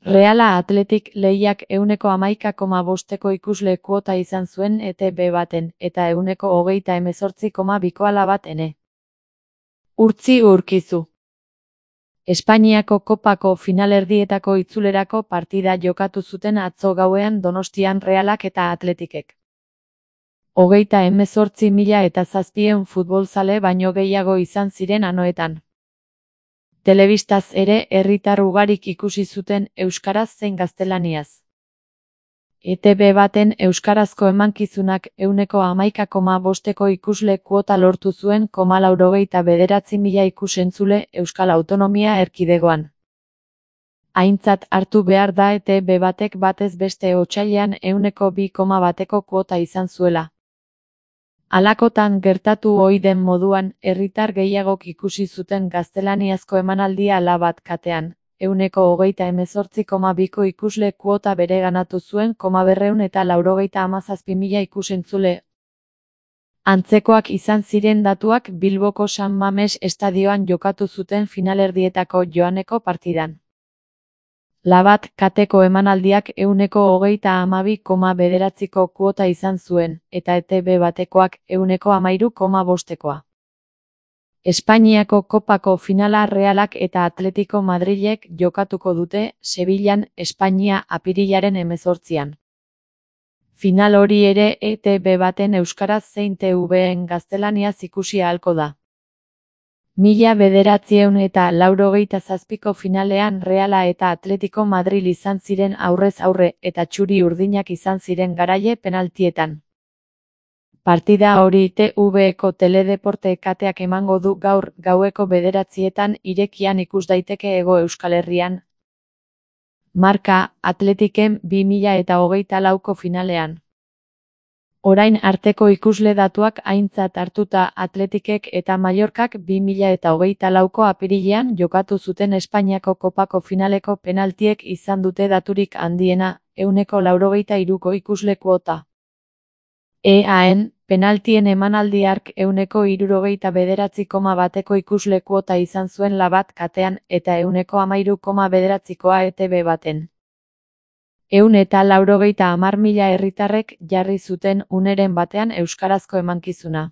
Reala Athletic lehiak 11,5 ikusle kuota izan zuen ETB baten, eta 38,2 bat ene. Urtzi Urkizu. Espainiako kopako finalerdietako itzulerako partida jokatu zuten atzo gauean Donostian Realak eta Athleticek. 38.700 futbolzale baino gehiago izan ziren anoetan. Telebistaz ere herritar ugarik ikusi zuten euskaraz zein gaztelaniaz. ETB baten euskarazko emankizunak 11,5 ikusle kuota lortu zuen 89.000 ikusentzule Euskal Autonomia Erkidegoan. Aintzat hartu behar da ETB batek batez beste otsailean 2,1 kuota izan zuela. Halakotan gertatu ohi den moduan, herritar gehiagok ikusi zuten gaztelaniazko emanaldia Labat katean, 128,2 ikusle kuota bereganatu zuen 297.000 ikusentzule. Antzekoak izan ziren datuak Bilboko San Mames estadioan jokatu zuten finalerdietako joaneko partidan. Labat kateko emanaldiak 132,9 kuota izan zuen, eta ETB batekoak 113,5. Espainiako kopako finala Realak eta Atletico Madrilek jokatuko dute, Sevillan, Espainia apirilaren 18an. Final hori ere ETB baten euskaraz zein TV-en gaztelaniaz ikusi ahalko da. 1987ko finalean Reala eta Atletico Madril izan ziren aurrez aurre eta txuri urdinak izan ziren garaile penaltietan. Partida hori TV-eko teledeporte kateak emango du gaur gaueko 9etan irekian ikus daiteke Hego Euskal Herrian. Marca, Athleticen 2024ko finalean. Orain arteko ikusle datuak aintzat hartuta Athleticek eta Mallorcak 2024ko apirilean jokatu zuten Espainiako kopako finaleko penaltiek izan dute daturik handiena, 193ko ikusle kuota. EAN, penaltien emanaldi hark 169,1 ikusle kuota izan zuen Labat katean eta 113,9koa ETB baten. 190.000 herritarrek jarri zuten uneren batean euskarazko emankizuna.